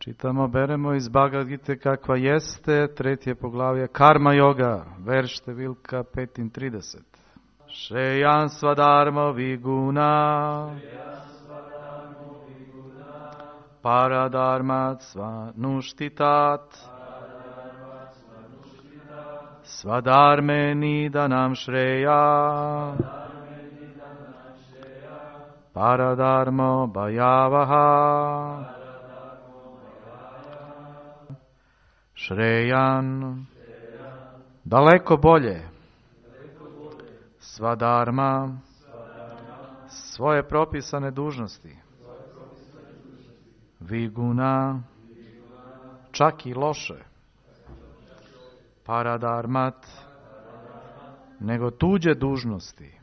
Čitamo, beremo iz Bhagavad Gite kakva jeste, 3. poglavlje Karma Yoga, verš številka 35. Šrejan svadharma viguna, paradharmat svanuštitat, svadharme nidanam šreya, paradharmo bhayavaha. Šrejan, daleko bolje, svadharma, svoje propisane dužnosti, viguna, čak i loše, paradharmat, nego tuđe dužnosti,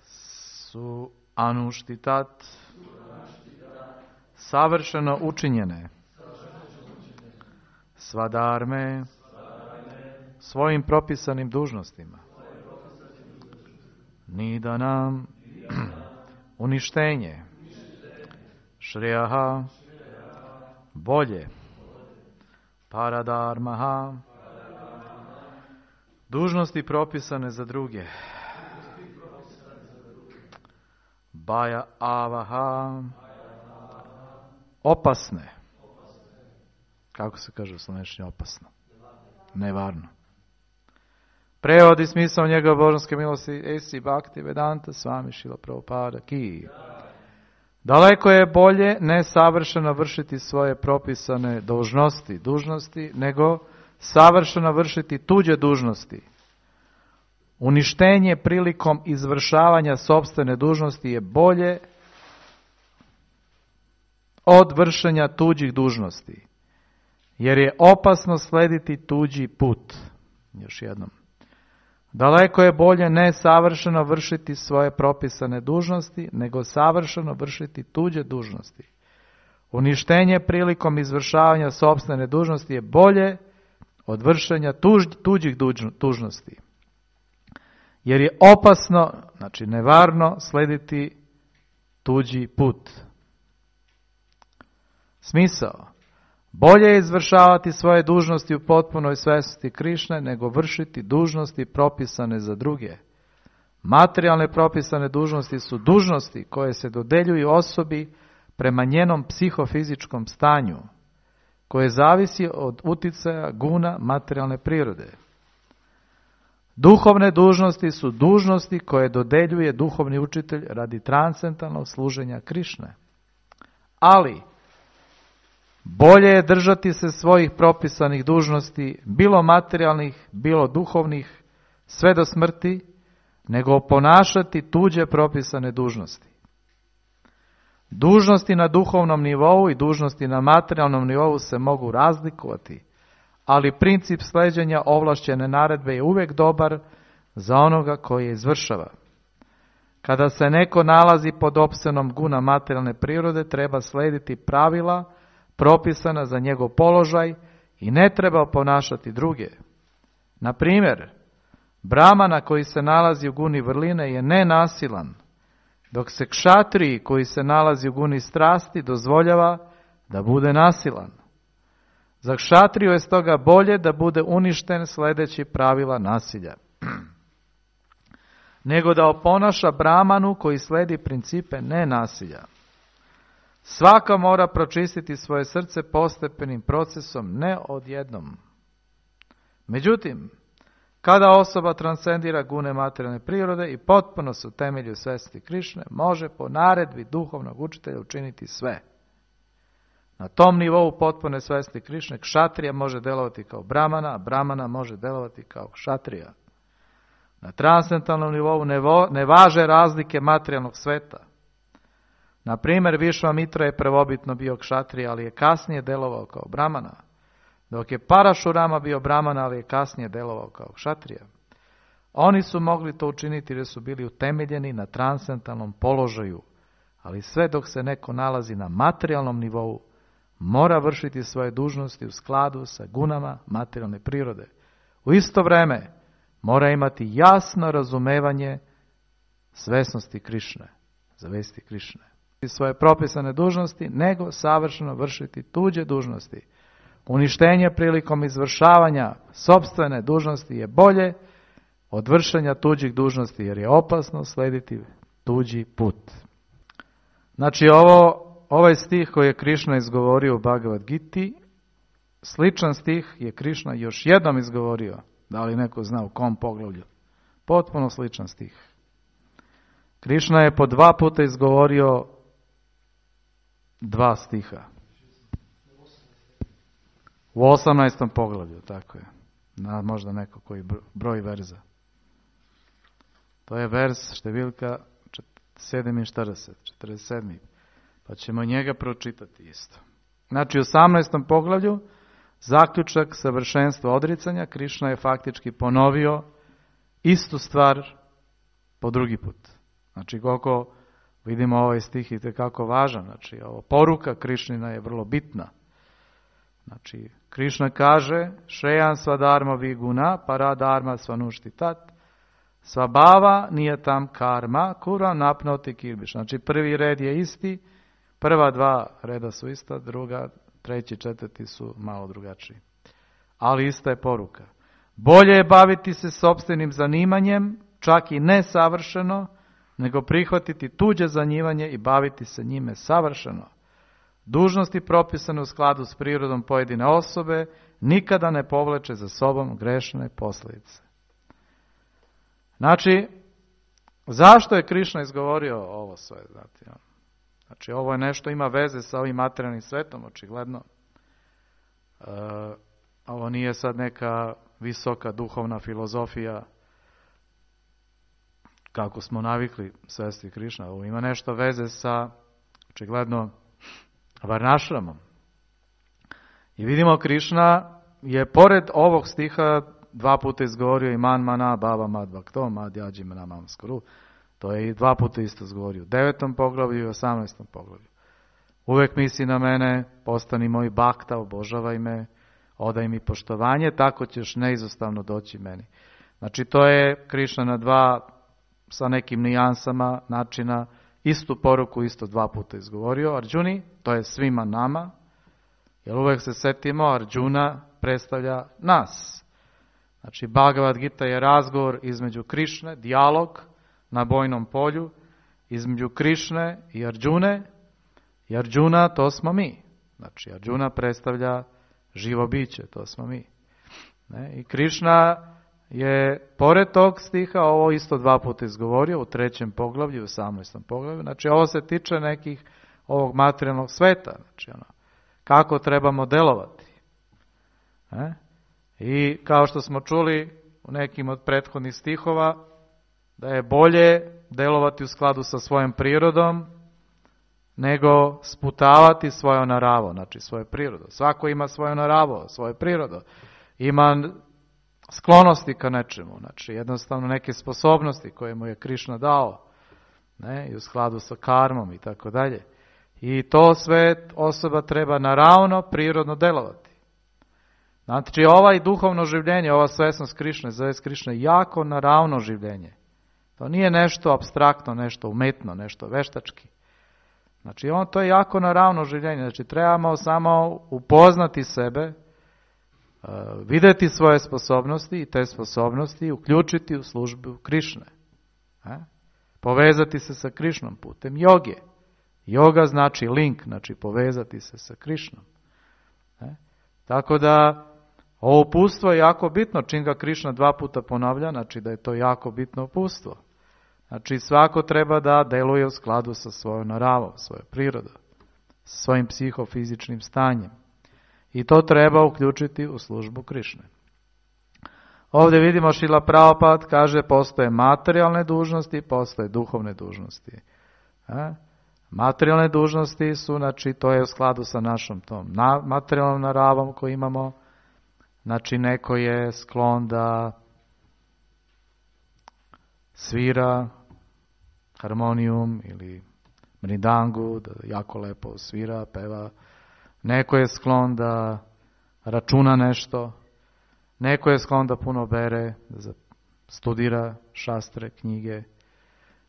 su anuštitat, savršeno učinjene, svadharme, svojim propisanim dužnostima, nidanam, uništenje, šrejaha, bolje, paradharmaha, dužnosti propisane za druge, bhaya avaha, opasne. Kako se kaže u slovenštini opasno? Nevarno. Prevod i smisao njegove božanske milosti A.C. Bhaktivedanta Swami Srila Prabhupada Ki. Daleko je bolje ne savršeno vršiti svoje propisane dužnosti, nego savršeno vršiti tuđe dužnosti. Uništenje prilikom izvršavanja sopstvene dužnosti je bolje od vršenja tuđih dužnosti, jer je opasno slediti tuđi put. Još jednom. Daleko je bolje ne savršeno vršiti svoje propisane dužnosti, nego savršeno vršiti tuđe dužnosti. Uništenje prilikom izvršavanja sopstvene dužnosti je bolje od vršenja tuđih dužnosti, jer je opasno, znači nevarno, slediti tuđi put. Smisao. Bolje je izvršavati svoje dužnosti u potpunoj svjesnosti Krišne, nego vršiti dužnosti propisane za druge. Materijalne propisane dužnosti su dužnosti koje se dodeljuju osobi prema njenom psihofizičkom stanju, koje zavisi od uticaja guna materijalne prirode. Duhovne dužnosti su dužnosti koje dodeljuje duhovni učitelj radi transcendentalnog služenja Krišne. Ali bolje je držati se svojih propisanih dužnosti, bilo materijalnih, bilo duhovnih, sve do smrti, nego ponašati tuđe propisane dužnosti. Dužnosti na duhovnom nivou i dužnosti na materijalnom nivou se mogu razlikovati, ali princip sleđenja ovlašćene naredbe je uvijek dobar za onoga koji je izvršava. Kada se neko nalazi pod opsenom guna materijalne prirode, treba slediti pravila propisana za njegov položaj i ne treba ponašati druge. Na primjer, Brahmana koji se nalazi u guni vrline je nenasilan, dok se kšatriji koji se nalazi u guni strasti dozvoljava da bude nasilan. Za kšatriju je stoga bolje da bude uništen sledeći pravila nasilja, nego da oponaša Brahmanu koji sledi principe nenasilja. Svaka mora pročistiti svoje srce postepenim procesom, ne odjednom. Međutim, kada osoba transcendira gune materijalne prirode i potpuno se utemelji u svesti Krišne, može po naredbi duhovnog učitelja učiniti sve. Na tom nivou potpune svesti Krišne, kšatrija može delovati kao Brahmana, a Brahmana može delovati kao kšatrija. Na transcendentalnom nivou ne važe razlike materijalnog sveta. Na primjer, Višvamitra je prvobitno bio kšatrija, ali je kasnije delovao kao Brahmana, dok je Parašurama bio Brahmana, ali je kasnije delovao kao kšatrija. Oni su mogli to učiniti jer su bili utemeljeni na transcendentalnom položaju, ali sve dok se neko nalazi na materijalnom nivou, mora vršiti svoje dužnosti u skladu sa gunama materijalne prirode. U isto vrijeme mora imati jasno razumevanje svesnosti Krišne, zavesti Krišne. svoje propisane dužnosti, nego savršeno vršiti tuđe dužnosti. Uništenje prilikom izvršavanja sopstvene dužnosti je bolje od vršenja tuđih dužnosti, jer je opasno slediti tuđi put. Znači ovaj stih koji je Krišna izgovorio u Bhagavad Giti, sličan stih je Krišna još jednom izgovorio. Da li neko zna u kom poglavlju? Potpuno sličan stih. Krišna je po 2 puta izgovorio 2 stiha. U 18. poglavlju, tako je. Možda neko koji broj verza. To je vers številka 47. Pa ćemo njega pročitati isto. Znači u 18. poglavlju zaključak savršenstva odricanja, Krišna je faktički ponovio istu stvar po drugi put. Znači koliko vidimo ovaj stih i tekako važan, znači ovo poruka Krišnina je vrlo bitna. Znači Krišna kaže Šrejan svadharma viguna paradharma svanuštitat svabhava niyatam karma kura napnoti kirbiš. Znači prvi red je isti, prva 2 reda su ista, druga, 3. 4. su malo drugačiji. Ali ista je poruka. Bolje je baviti se sopstvenim zanimanjem, čak i nesavršeno, nego prihvatiti tuđe zanimanje i baviti se njime savršeno. Dužnosti propisane u skladu s prirodom pojedine osobe nikada ne povleče za sobom grešne posljedice. Znači, zašto je Krišna izgovorio ovo sve? Znači, ovo je nešto ima veze sa ovim materijalnim svetom, očigledno. Ovo nije sad neka visoka duhovna filozofija, kako smo navikli svesti Krišna. Ovo ima nešto veze sa, očigledno, varnašramom. I vidimo Krišna je pored ovog stiha 2 puta izgovorio i man mana baba mad bhakto mad yaji manamam skuru. To je i 2 puta isto izgovorio u 9. poglavlju i 18. poglavlju. Uvek misli na mene, postani moj bhakta, obožavaj me, odaj mi poštovanje, tako ćeš neizostavno doći meni. Znači to je Krišna na 2 sa nekim nijansama načina istu poruku isto 2 puta izgovorio Arjuni, to je svima nama, jer uvek se setimo Arjuna predstavlja nas. Znači Bhagavad Gita je razgovor između Krišne, dijalog na bojnom polju, između Krišne i Arjune, i Arjuna to smo mi. Znači Arjuna predstavlja živo biće, to smo mi. I Krišna je pored tog stiha ovo isto 2 puta izgovorio u 3. poglavlju i u 18. poglavlju. Znači ovo se tiče nekih ovog materijalnog sveta. Znači kako trebamo delovati. I kao što smo čuli u nekim od prethodnih stihova, da je bolje delovati u skladu sa svojom prirodom, nego sputavati svoju naravu, znači svoju prirodu. Svako ima svoju naravu, svoju prirodu. Ima sklonosti ka nečemu, znači jednostavno neke sposobnosti koje mu je Krišna dao, i u skladu sa karmom i tako dalje. I to sve osoba treba naravno, prirodno delovati. Znači ovaj duhovno življenje, ova svesnost Krišne, zove Krišne, jako naravno življenje. To nije nešto apstraktno, nešto umetno, nešto veštački. Znači to je jako naravno življenje. Znači trebamo samo upoznati sebe, vidjeti svoje sposobnosti i te sposobnosti uključiti u službu Krišne. Povezati se sa Krišnom putem joge. Joga znači link, znači povezati se sa Krišnom. Tako da ovo upustvo je jako bitno, čim ga Krišna 2 puta ponavlja, znači da je to jako bitno upustvo. Znači svako treba da deluje u skladu sa svojom naravom, svojom prirodom, sa svojim psihofizičnim stanjem. I to treba uključiti u službu Krišne. Ovdje vidimo Šrila Prabhupada kaže postoje materijalne dužnosti, postoje duhovne dužnosti. Materijalne dužnosti su, znači to je u skladu sa našom tom materijalnom naravom koju imamo. Znači neko je sklon da svira harmonijum ili mridangu, da jako lepo svira, peva. Neko je sklon da računa nešto. Neko je sklon da puno bere, da studira šastre, knjige.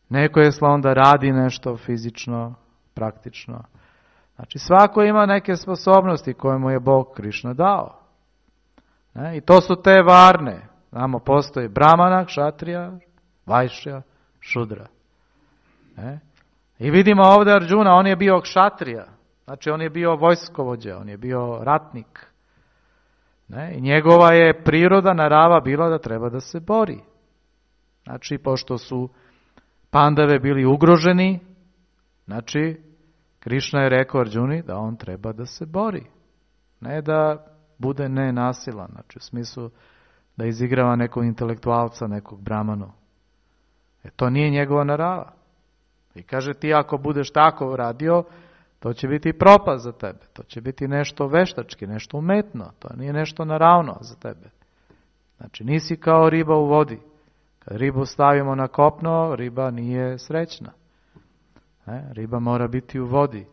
Neko je sklon da radi nešto fizično, praktično. Znači svako ima neke sposobnosti koje mu je Bog Krišna dao. I to su te varne. Znamo, postoji Brahmana, Kšatrija, Vajšja, Šudra. I vidimo ovdje Arđuna, on je bio Kšatrija. Znači on je bio vojskovođa, on je bio ratnik. I njegova je priroda, narava bila da treba da se bori. Znači, pošto su Pandave bili ugroženi, znači, Krišna je rekao Arđuni da on treba da se bori. Ne da bude nenasilan, znači u smislu da izigrava nekog intelektualca, nekog brahmanu. To nije njegova narava. I kaže, ti ako budeš tako radio, to će biti propast za tebe. To će biti nešto veštački, nešto umetno. To nije nešto naravno za tebe. Znači, nisi kao riba u vodi. Kad ribu stavimo na kopno, riba nije srećna. Riba mora biti u vodi.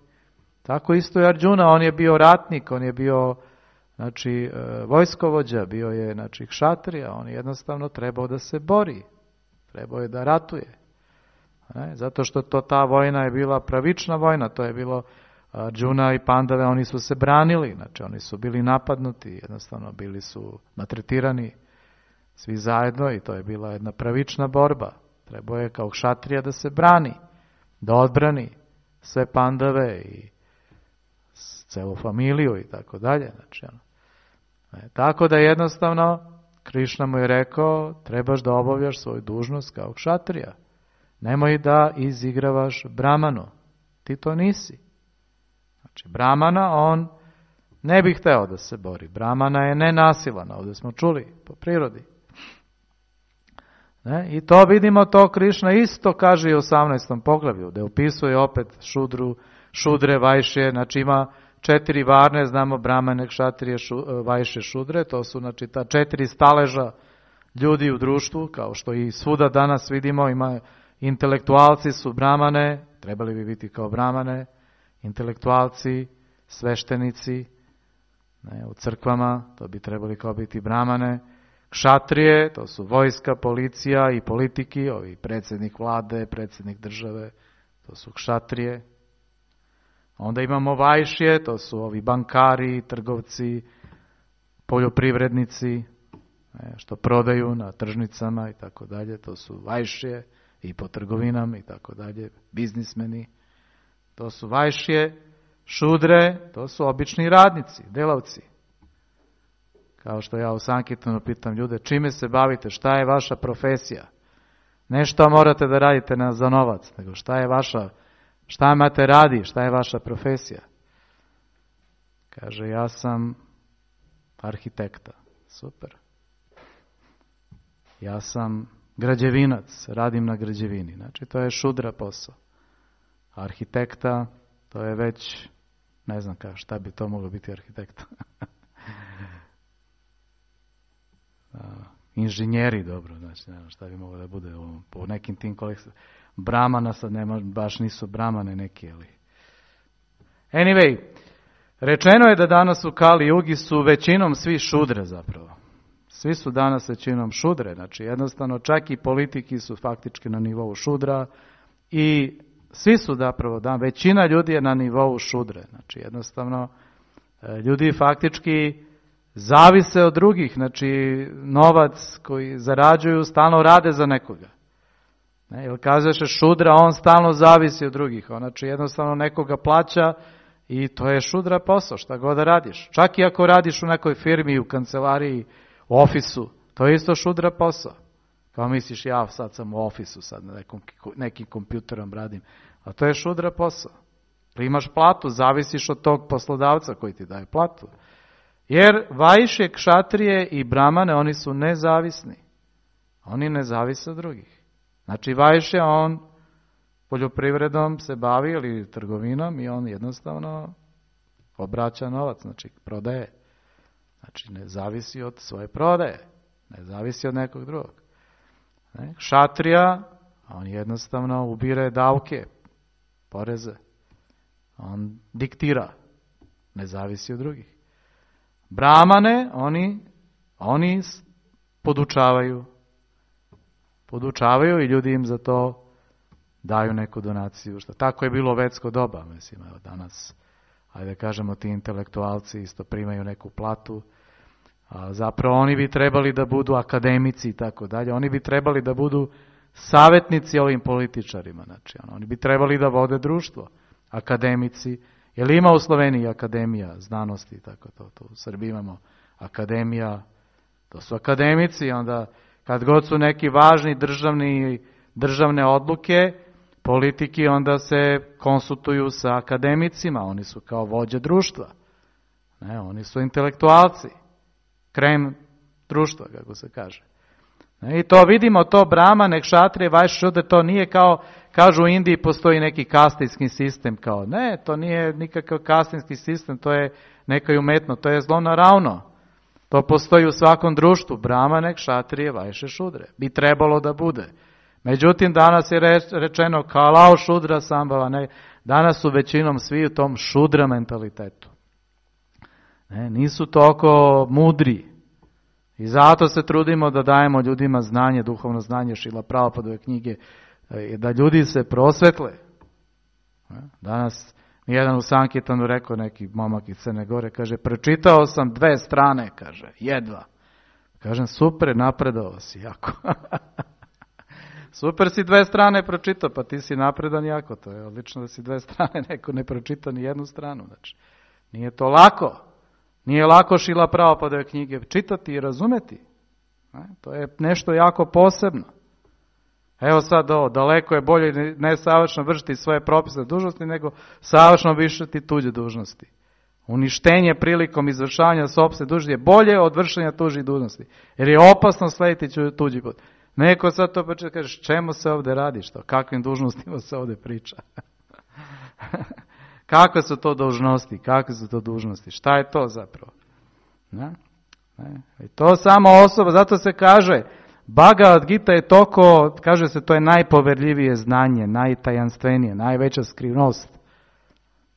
Tako isto je Arđuna, on je bio ratnik, on je bio vojskovođa, bio je kšatrija, on je jednostavno trebao da se bori. Trebao je da ratuje. Zato što ta vojna je bila pravična vojna, to je bilo Arđuna i Pandave, oni su se branili, znači oni su bili napadnuti, jednostavno bili su maltretirani svi zajedno i to je bila jedna pravična borba. Trebao je kao kšatrija da se brani, da odbrani sve Pandave i celu familiju i tako dalje. Znači, tako da jednostavno Krišna mu je rekao, trebaš da obavljaš svoju dužnost kao kšatrija. Nemoj da izigravaš Brahmanu. Ti to nisi. Znači, Brahmana, on ne bi hteo da se bori. Brahmana je nenasilan, ovdje smo čuli, po prirodi. I to vidimo, to Krišna isto kaže i u 18. poglavlju, gdje opisuje opet Šudre, Vajšje, znači ima 4 varne, znamo Brahmane, Kšatrije, Vajšje, Šudre, to su znači ta 4 staleža ljudi u društvu, kao što i svuda danas vidimo, ima intelektualci su Brahmane, trebali bi biti kao Brahmane, intelektualci, sveštenici, u crkvama, to bi trebali kao biti Brahmane, Kšatrije, to su vojska, policija i politiki, ovi predsjednik vlade, predsjednik države, to su Kšatrije. Onda imamo Vajšje, to su ovi bankari, trgovci, poljoprivrednici, što prodaju na tržnicama i tako dalje, to su Vajšje i po trgovinama i tako dalje, biznismeni, to su Vajšje. Šudre, to su obični radnici, delavci. Kao što ja u Sankirtanu pitam ljude, čime se bavite, šta je vaša profesija? Ne što morate da radite za novac, nego šta imate radi, šta je vaša profesija? Kaže, ja sam arhitekta. Super. Ja sam građevinac, radim na građevini. Znači, to je šudra posao. Arhitekta, to je već, ne znam šta bi to moglo biti arhitekta. Inženjeri, dobro, znači ne znam šta bi moglo da bude po nekim tim kolekcijama. Brahmana sad nema, baš nisu Brahmane neki, ali... Anyway, rečeno je da danas u Kali Jugi su većinom svi šudre zapravo. Svi su danas većinom šudre, znači jednostavno čak i politiki su faktički na nivou šudra i svi su zapravo, većina ljudi je na nivou šudre, znači jednostavno ljudi faktički zavise od drugih, znači novac koji zarađuju stalno rade za nekoga. Jer kažeš šudra, on stalno zavisi od drugih, znači jednostavno nekoga plaća i to je šudra posao, šta god da radiš. Čak i ako radiš u nekoj firmi, u kancelariji, u ofisu, to je isto šudra posao. Kao misliš, ja sad sam u ofisu, sad nekim kompjuterom radim, a to je šudra posao. Primaš platu, zavisiš od tog poslodavca koji ti daje platu. Jer Vajšje, Kšatrije i Brahmane, oni su nezavisni. Oni ne zavise od drugih. Znači Vajšje, on poljoprivredom se bavi ili trgovinom i on jednostavno obraća novac, znači prodaje. Znači ne zavisi od svoje prodaje, ne zavisi od nekog drugog. Kšatrija, on jednostavno ubire davke, poreze. On diktira, ne zavisi od drugih. Brahmane, oni podučavaju i ljudi im za to daju neku donaciju. Što tako je bilo u vedsko doba, mislim, evo danas, ajde kažemo, ti intelektualci isto primaju neku platu, a zapravo oni bi trebali da budu akademici i tako dalje, oni bi trebali da budu savjetnici ovim političarima, znači, oni bi trebali da vode društvo, akademici. Je li ima u Sloveniji akademija znanosti, tako to u Srbiji imamo akademija, to su akademici, onda kad god su neki važni državne odluke, politiki, onda se konsultuju sa akademicima, oni su kao vođe društva, ne, oni su intelektualci, krem društva, kako se kaže. I to vidimo, to Brahmane, Kšatrije, Vajšje, Šudre, to nije kao, kažu u Indiji postoji neki kastinski sistem, kao ne, to nije nikakav kastinski sistem, to je neka umetno, to je zlonaravno. To postoji u svakom društvu, Brahmane, Kšatrije, Vajšje, Šudre. Bi trebalo da bude. Međutim, danas je rečeno Kalao Šudra Sambhava, ne, danas su većinom svi u tom šudra mentalitetu. Ne, nisu toliko mudri. I zato se trudimo da dajemo ljudima znanje, duhovno znanje, Šrila Prabhupadove knjige, da ljudi se prosvetle. Danas mi jedan u Sankirtanu rekao, neki momak iz Crne Gore, kaže, pročitao sam 2 strane, kaže, jedva. Kažem, super, napredao si jako. Super si 2 strane pročitao, pa ti si napredan jako, to je odlično da si 2 strane, neko ne pročita ni 1 stranu, znači, nije to lako. Nije lako Šrila Prabhupadove knjige čitati i razumeti. To je nešto jako posebno. Evo sad ovo, daleko je bolje ne savršeno vršiti svoje propisane dužnosti, nego savršeno vršiti tuđe dužnosti. Uništenje prilikom izvršavanja sopstvene dužnosti je bolje od vršenja tuđih dužnosti. Jer je opasno slediti tuđi put. Neko sad to počne kaže, čemu se ovdje radi, što? Kakvim dužnostima se ovdje priča? Kakve su to dužnosti? Kakve su to dužnosti? Šta je to zapravo? Ne? I to samo osoba, zato se kaže, Bhagavad Gita je toliko, kaže se, to je najpoverljivije znanje, najtajanstvenije, najveća skrivnost.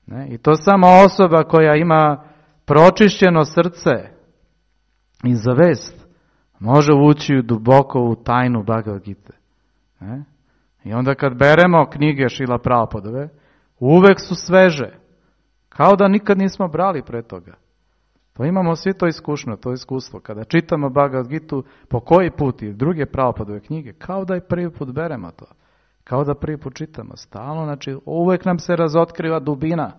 Ne? I to samo osoba koja ima pročišćeno srce i zavest može ući duboko u tajnu Bhagavad Gita. Ne? I onda kad beremo knjige Šrila Prabhupadove, uvek su sveže. Kao da nikad nismo brali pre toga. To imamo svi to iskustvo. Kada čitamo Bhagavad Gitu, po koji put i druge Prabhupadove knjige, kao da i prvi put beremo to. Kao da prvi put čitamo. Stalno, znači uvek nam se razotkriva dubina.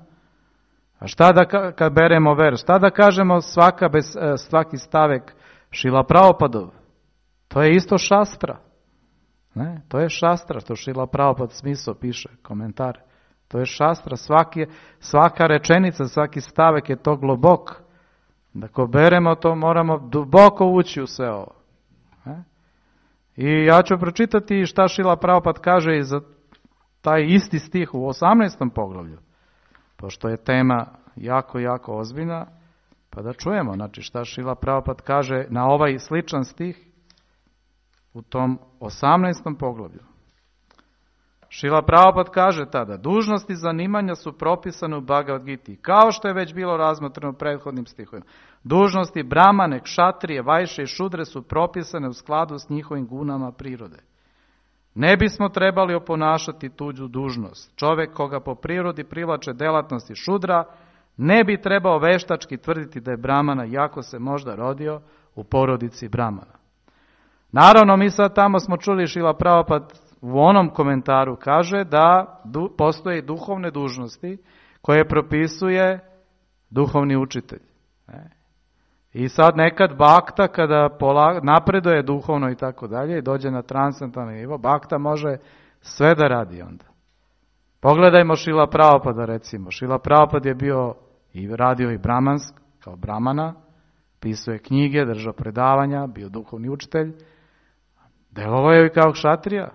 A šta da kad beremo verš? Šta da kažemo svaki stavek Šrila Prabhupadov? To je isto šastra. Ne? To je šastra, što Šrila Prabhupad smisao piše, komentar. To je šastra, svaka rečenica, svaki stavek je to globok. Da ko beremo to, moramo duboko ući u sve ovo. I ja ću pročitati šta Šrila Prabhupada kaže i za taj isti stih u 18. poglavlju. Pošto je tema jako, jako ozbiljna, pa da čujemo, znači šta Šrila Prabhupada kaže na ovaj sličan stih u tom 18. poglavlju. Šrila Prabhupada kaže tada, dužnosti zanimanja su propisane u Bhagavad Giti, kao što je već bilo razmotreno u prethodnim stihovima. Dužnosti Brahmane, Kšatrije, Vajšje i Šudre su propisane u skladu s njihovim gunama prirode. Ne bismo trebali oponašati tuđu dužnost. Čovjek koga po prirodi privlače delatnosti Šudra, ne bi trebao veštački tvrditi da je Brahmana, iako se možda rodio u porodici Brahmana. Naravno, mi sad tamo smo čuli Šrila Prabhupada u onom komentaru kaže da postoje duhovne dužnosti koje propisuje duhovni učitelj. I sad nekad bakta kada napreduje duhovno i tako dalje i dođe na transcendentalno nivo, bakta može sve da radi onda. Pogledajmo Šrila Prabhupada recimo. Šrila Prabhupada je bio i radio i brahmansk, kao brahmana, pisao je knjige, držao predavanja, bio duhovni učitelj, delovao je i kao kšatrija.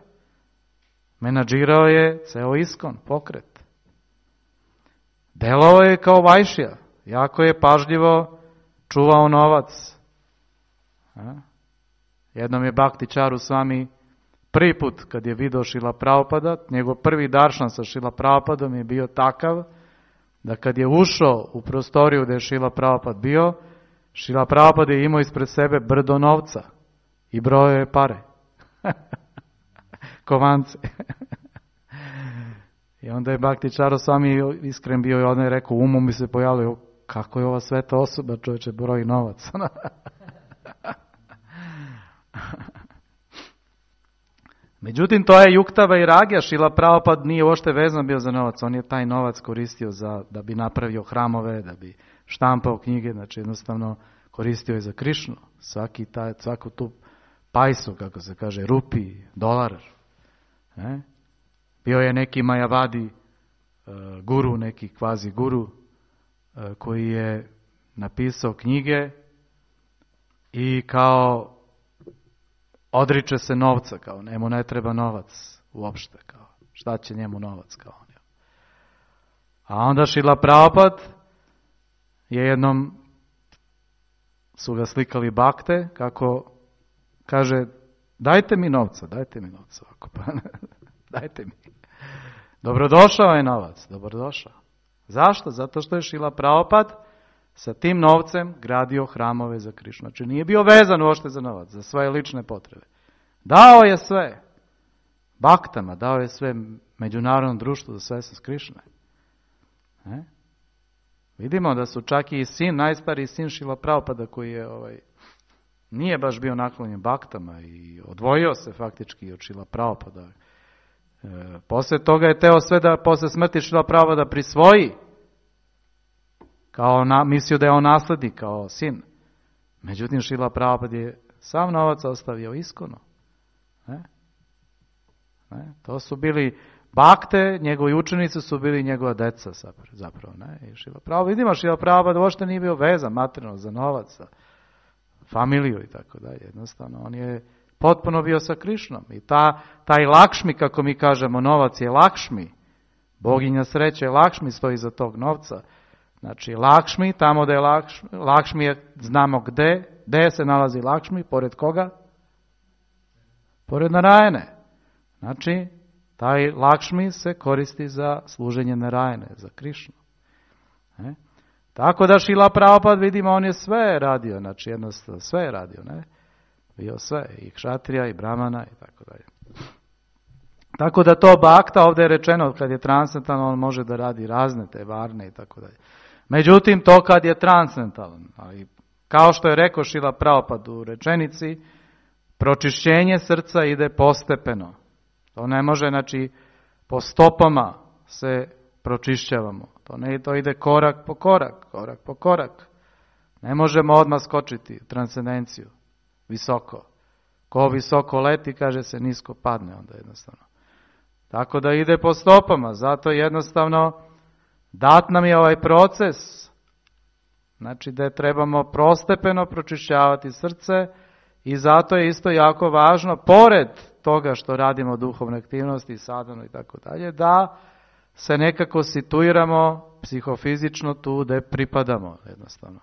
Menadžirao je ceo iskon, pokret. Delovao je kao vajšija. Jako je pažljivo čuvao novac. Jednom je Bhakti Charu Swami prvi put kad je video Šrila Prabhupada, njegov prvi daršan sa Šrila Prabhupadom je bio takav da kad je ušao u prostoriju gdje je Šrila Prabhupada bio, Šrila Prabhupada je imao ispred sebe brdo novca i brojao je pare. Kovance. I onda je Bhakti Čarosvami iskren bio i onda je rekao, umom mi se pojavio, kako je ova sveta osoba, čovječe, broji novac. Međutim, to je Juktava i Ragija, Šrila Prabhupada nije uopšte vezan bio za novac, on je taj novac koristio da bi napravio hramove, da bi štampao knjige, znači jednostavno koristio je za Krišnu, svaku tu pajsu, kako se kaže, rupi, dolar. Bio je neki Majavadi guru, neki kvazi guru, koji je napisao knjige i kao odriče se novca, kao njemu ne treba novac uopšte, kao šta će njemu novac, kao on. A onda Šrila Prabhupada je jednom su ga slikali bakte, kako kaže, dajte mi novca, ovako, pa dajte mi. Dobrodošao je novac, dobrodošao. Zašto? Zato što je Šrila Prabhupada sa tim novcem gradio hramove za Krišnu. Znači nije bio vezan uopšte za novac, za svoje lične potrebe. Dao je sve baktama, dao je sve međunarodnom društvu za sve sa Krišne. Vidimo da su čak i sin, najstariji sin Šrila Prabhupada koji je nije baš bio naklonjen baktama i odvojio se faktički od Šrila Prabhupada. Poslije toga je teo sve da posle smrti Šrila Prabhupada prisvoji, mislio da je on naslednik kao sin. Međutim, Šrila Prabhupada je sav novac ostavio iskonu. To su bili bakte, njegovi učenici su bili njegova deca zapravo. I Šrila Prabhupada, vidimo, Šrila Prabhupada uopšte nije bio vezan materijalno za novac, za familiju i tako dalje. Jednostavno, on je potpuno bio sa Krišnom. I taj Lakšmi, kako mi kažemo, novac je Lakšmi. Boginja sreće je Lakšmi, stoji iza tog novca. Znači, Lakšmi, tamo da je Lakšmi je, znamo gde se nalazi Lakšmi, pored koga? Pored Narajane. Znači, taj Lakšmi se koristi za služenje Narajane, za Krišnu. Tako da Šrila Prabhupada, vidimo, on je sve radio, znači jednostavno sve je radio, bio sve, i kšatrija, i brahmana, i tako dalje. Tako da to bakta, ovdje je rečeno, kad je transcendentalno, on može da radi razne te varne, i tako dalje. Međutim, to kad je transcendentalno, ali kao što je rekao Šrila Prabhupada u rečenici, pročišćenje srca ide postepeno. To ne može, znači, po stopama se pročišćavamo. To ide korak po korak. Ne možemo odmah skočiti u transcendenciju, visoko. Ko visoko leti, kaže se, nisko padne onda jednostavno. Tako da ide po stopama, zato jednostavno dat nam je ovaj proces, znači da trebamo prostepeno pročišćavati srce i zato je isto jako važno, pored toga što radimo duhovne aktivnosti, sadhanu i tako dalje, da se nekako situiramo psihofizično tu gdje pripadamo jednostavno.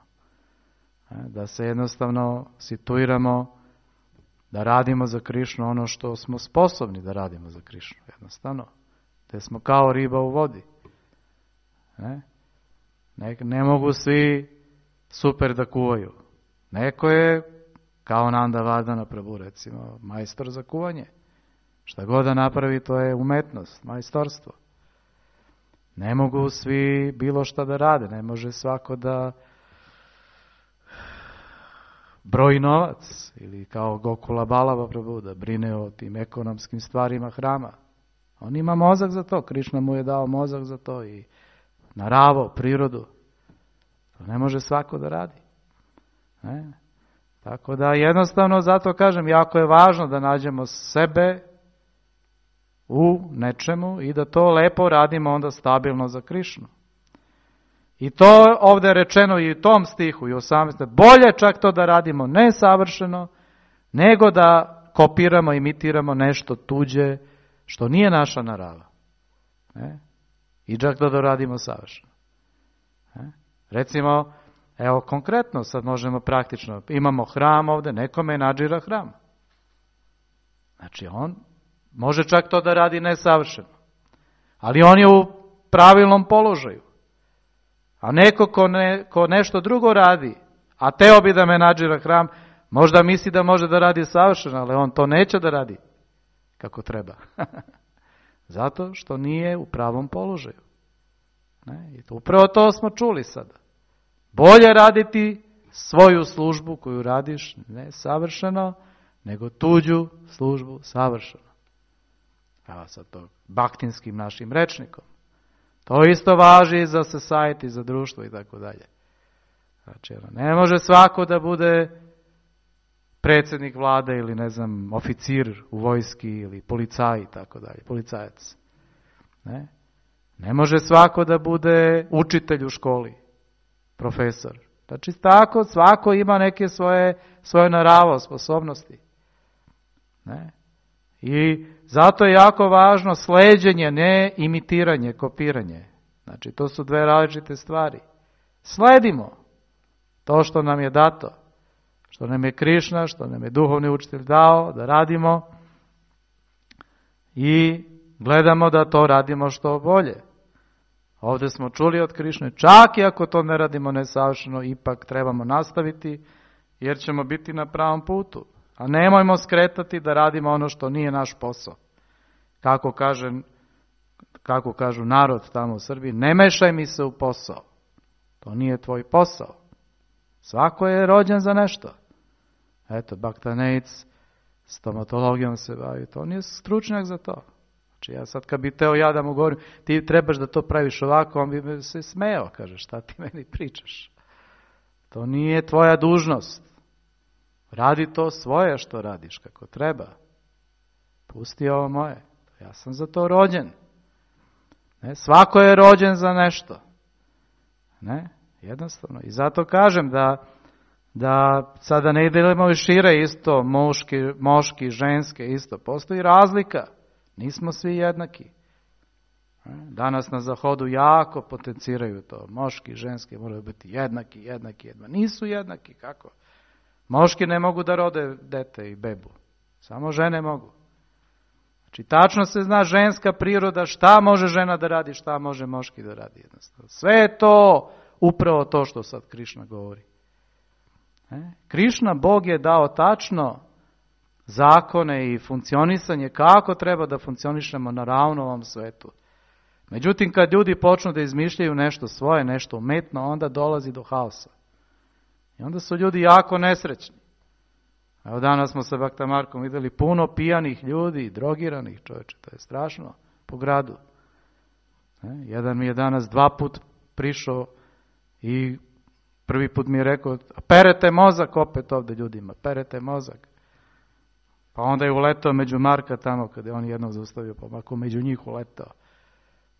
Da se jednostavno situiramo da radimo za Krišnu ono što smo sposobni da radimo za Krišnu jednostavno. Gdje smo kao riba u vodi. Ne mogu svi super da kuvaju. Neko je kao Nanda Vardhana Prabhu recimo majstor za kuvanje. Šta god da napravi to je umetnost, majstorstvo. Ne mogu svi bilo šta da rade, ne može svako da broji novac ili kao Gokula Balava Prabhu da brine o tim ekonomskim stvarima hrama. On ima mozak za to, Krišna mu je dao mozak za to i naravo, prirodu. To ne može svako da radi. Tako da jednostavno zato kažem, jako je važno da nađemo sebe u nečemu i da to lepo radimo onda stabilno za Krišnu. I to ovdje je rečeno i u tom stihu i u 18. Bolje čak to da radimo nesavršeno, nego da kopiramo, imitiramo nešto tuđe što nije naša narava. I čak da radimo savršeno. Recimo, evo konkretno, sad možemo praktično, imamo hram ovdje, neko menadžira hram. Znači on može čak to da radi nesavršeno. Ali on je u pravilnom položaju. A neko ko nešto drugo radi, a teo bi da menadžira hram, možda misli da može da radi savršeno, ali on to neće da radi kako treba. Zato što nije u pravom položaju. Ne? I upravo to smo čuli sada. Bolje raditi svoju službu koju radiš ne savršeno, nego tuđu službu savršeno. Evo sad to baktinskim našim rečnikom. To isto važi i za society, za društvo i tako dalje. Znači, ne može svako da bude predsjednik vlade ili ne znam, oficir u vojski ili policaj i tako dalje, policajac. Ne može svako da bude učitelj u školi, profesor. Znači, tako svako ima neke svoje naravo, sposobnosti. Ne? I zato je jako važno sleđenje, ne imitiranje, kopiranje. Znači, to su dve različite stvari. Sledimo to što nam je dato, što nam je Krišna, što nam je duhovni učitelj dao da radimo i gledamo da to radimo što bolje. Ovdje smo čuli od Krišne, čak i ako to ne radimo nesavršeno, ipak trebamo nastaviti jer ćemo biti na pravom putu. A nemojmo skretati da radimo ono što nije naš posao. Kako kažu narod tamo u Srbiji, ne mešaj mi se u posao. To nije tvoj posao. Svako je rođen za nešto. Eto, Baktanejc, stomatologijom se bavi, to nije stručnjak za to. Znači ja sad kad bi teo ja da mu govorim, ti trebaš da to praviš ovako, on bi se smejao, kaže, šta ti meni pričaš? To nije tvoja dužnost. Radi to svoje što radiš, kako treba. Pusti ovo moje. Ja sam za to rođen. Ne? Svako je rođen za nešto. Ne? Jednostavno. I zato kažem da sada ne idemo šire isto, moški, ženske isto. Postoji razlika. Nismo svi jednaki. Danas na Zahodu jako potenciraju to. Moški, ženski moraju biti jednaki. Nisu jednaki, kako? Moški ne mogu da rode dete i bebu. Samo žene mogu. Znači, tačno se zna ženska priroda, šta može žena da radi, šta može moški da radi. Jednostavno. Sve je to upravo to što sad Krišna govori. Krišna, Bog je dao tačno zakone i funkcionisanje kako treba da funkcionišemo na ravnovom svetu. Međutim, kad ljudi počnu da izmišljaju nešto svoje, nešto umetno, onda dolazi do haosa. I onda su ljudi jako nesrećni. Evo danas smo sa Bakta Markom vidjeli puno pijanih ljudi, drogiranih, čovječe, to je strašno po gradu. Jedan mi je danas 2 puta prišao i prvi put mi je rekao, perete mozak opet ovdje ljudima, perete mozak. Pa onda je uletao među Marka tamo, kada je on jednog zaustavio, pa Marko među njih uletao.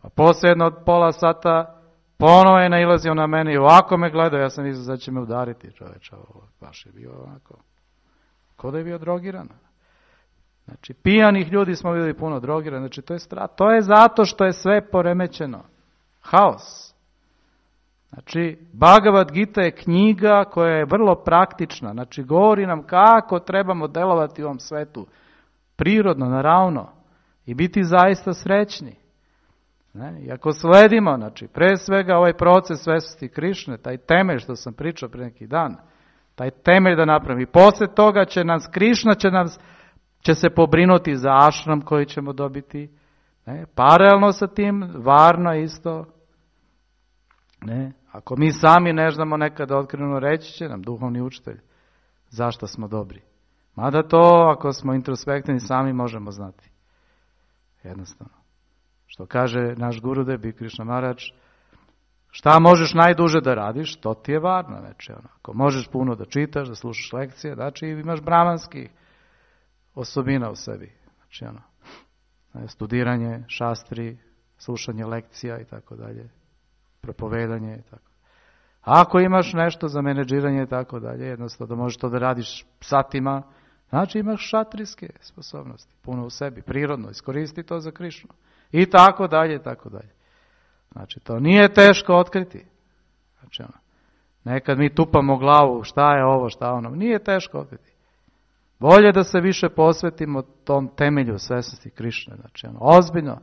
Pa poslije jedno od pola sata ponovo je nailazio na mene i ovako me gledao, ja sam mislio da će me udariti, čovječe, baš je bio ovako. Ko da je bio drogiran. Znači, pijanih ljudi smo vidjeli puno drogirani, znači to je zato što je sve poremećeno. Haos. Znači, Bhagavad Gita je knjiga koja je vrlo praktična, znači govori nam kako trebamo delovati u ovom svetu, prirodno, naravno, i biti zaista srećni. I ako sledimo, znači, pre svega ovaj proces svjesnosti Krišne, taj temelj što sam pričao pre neki dan, taj temelj da napravimo. I poslije toga će nas Krišna će se pobrinuti za ašram koji ćemo dobiti. Paralelno sa tim, varno isto. Ako mi sami ne znamo nekada otkriveno, reći će nam duhovni učitelj zašto smo dobri. Mada to, ako smo introspektivni, sami možemo znati. Jednostavno. Što kaže naš Gurudev Bhikti Krišna Maharaj, šta možeš najduže da radiš, to ti je varno. Znači, ako možeš puno da čitaš, da slušaš lekcije, znači imaš brahmanskih osobina u sebi. Znači, studiranje, šastri, slušanje lekcija i tako dalje, propovedanje i tako. A ako imaš nešto za menedžiranje i tako dalje, jednostavno da možeš to da radiš satima, znači imaš šatrijske sposobnosti, puno u sebi, prirodno, iskoristi to za Krišnu. I tako dalje, i tako dalje. Znači, to nije teško otkriti. Znači, nekad mi tupamo glavu, šta je ovo, šta ono, nije teško otkriti. Bolje da se više posvetimo tom temelju svjesnosti Krišne. Znači, ozbiljno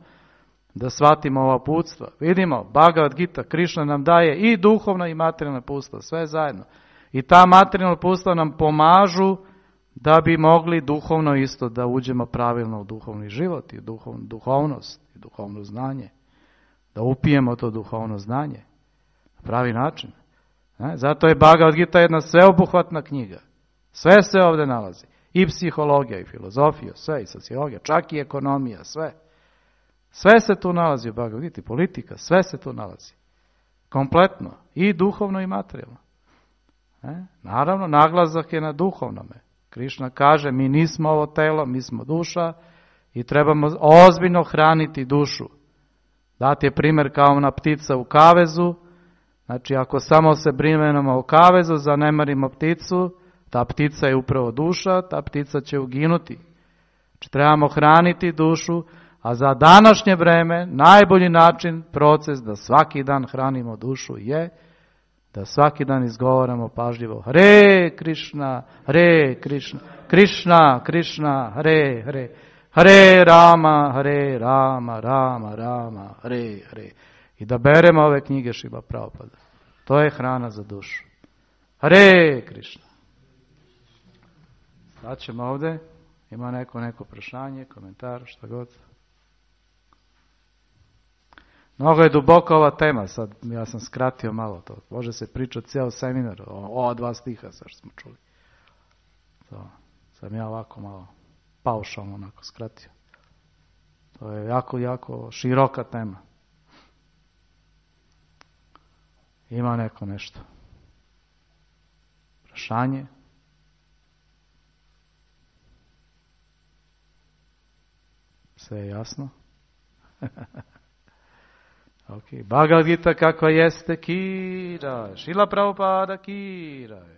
da shvatimo ova uputstva. Vidimo, Bhagavad Gita, Krišna nam daje i duhovno i materijalno uputstvo, sve zajedno. I ta materijalna uputstva nam pomažu da bi mogli duhovno isto da uđemo pravilno u duhovni život i duhovnost i duhovno znanje. Da upijemo to duhovno znanje na pravi način. Zato je Bhagavad Gita jedna sveobuhvatna knjiga. Sve se ovdje nalazi. I psihologija, i filozofija, sve, i sociologija, čak i ekonomija, sve. Sve se tu nalazi u Bhagavad Gita, politika, sve se tu nalazi. Kompletno. I duhovno i materijalno. Naravno, naglasak je na duhovnome. Krišna kaže, mi nismo ovo telo, mi smo duša i trebamo ozbiljno hraniti dušu. Dati je primjer kao ona ptica u kavezu. Znači, ako samo se brinemo o kavezu, zanemarimo pticu, ta ptica je upravo duša, ta ptica će uginuti. Znači, trebamo hraniti dušu, a za današnje vreme najbolji način, proces da svaki dan hranimo dušu je da svaki dan izgovaramo pažljivo Hare Krišna, Hare Krišna, Krišna, Krišna, Hare Hare, Hare Rama, Hare Rama, Rama, Rama, Hare Hare. I da beremo ove knjige Šrila Prabhupada. To je hrana za dušu. Hare Krišna. Sad ćemo ovdje. Ima neko prašanje, komentar, šta god. Mnogo je duboko ova tema, sad ja sam skratio malo to. Može se pričati cijel seminar o 2 stiha, sad što smo čuli. To sam ja ovako malo paušalno onako skratio. To je jako, jako široka tema. Ima neko nešto? Prašanje? Sve je jasno? Ok, Bhagavad Gita kakva jeste, Kiraj. Šrila Prabhupada Kiraj.